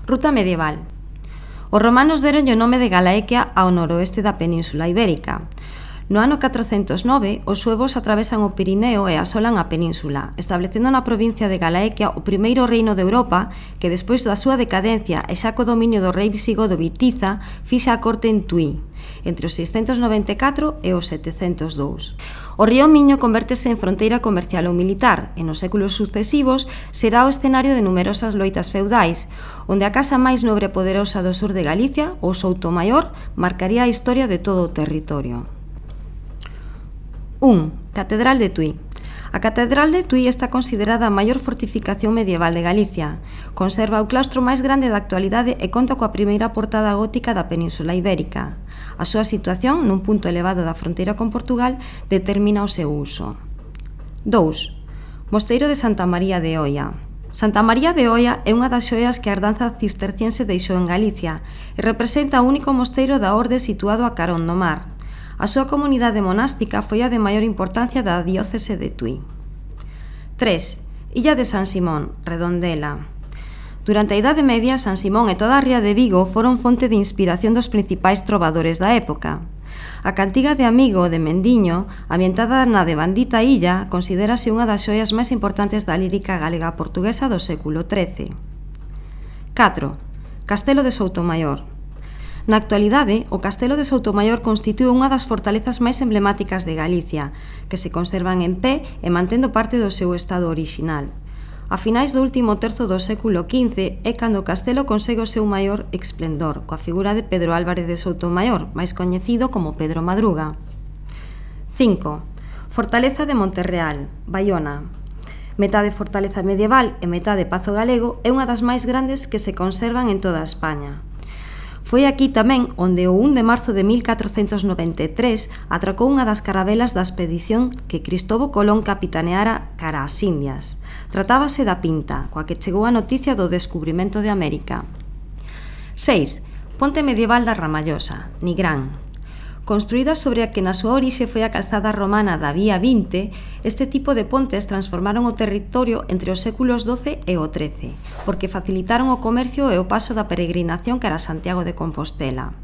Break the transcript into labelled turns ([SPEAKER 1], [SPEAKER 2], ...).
[SPEAKER 1] Ruta medieval. Os romanos deronlle o nome de Galaequia ao noroeste da Península Ibérica. No ano 409, os suevos atravesan o Pirineo e asolan a península, establecendo na provincia de Galaequia o primeiro reino de Europa que, despois da súa decadencia e xa co dominio do rei visigodo Vitiza, fixa a corte en Tui, entre os 694 e os 702. O río Miño convértese en fronteira comercial ou militar e nos séculos sucesivos será o escenario de numerosas loitas feudais, onde a casa máis nobre e poderosa do sur de Galicia, o Soutomaior, marcaría a historia de todo o territorio. 1. Catedral de Tui. A Catedral de Tui está considerada a maior fortificación medieval de Galicia. Conserva o claustro máis grande da actualidade e conta coa primeira portada gótica da Península Ibérica. A súa situación, nun punto elevado da fronteira con Portugal, determina o seu uso. 2. Mosteiro de Santa María de Oia. Santa María de Oia é unha das xoias que a herdanza cisterciense deixou en Galicia e representa o único mosteiro da orde situado a carón do mar. A súa comunidade monástica foi a de maior importancia da diócese de Tui. 3. Illa de San Simón, Redondela. Durante a Idade Media, San Simón e toda a ría de Vigo foron fonte de inspiración dos principais trovadores da época. A cantiga de Amigo de Mendiño, ambientada na devandita illa, considérase unha das xoias máis importantes da lírica galega portuguesa do século XIII. 4. Castelo de Soutomaior. Na actualidade, o Castelo de Soutomaior constitúe unha das fortalezas máis emblemáticas de Galicia, que se conservan en pé e mantendo parte do seu estado orixinal. A finais do último terzo do século XV é cando o castelo consegue o seu maior esplendor, coa figura de Pedro Álvarez de Soutomaior, máis coñecido como Pedro Madruga. 5. Fortaleza de Monterreal, Baiona. Metade fortaleza medieval e metade pazo galego, é unha das máis grandes que se conservan en toda España. Foi aquí tamén onde o 1 de marzo de 1493 atracou unha das carabelas da expedición que Cristóbal Colón capitaneara cara ás Indias. Tratábase da Pinta, coa que chegou a noticia do descubrimento de América. 6. Ponte medieval da Ramallosa, Nigrán. Construída sobre a que na súa orixe foi a calzada romana da Vía 20, este tipo de pontes transformaron o territorio entre os séculos XII e o XIII, porque facilitaron o comercio e o paso da peregrinación cara a Santiago de Compostela.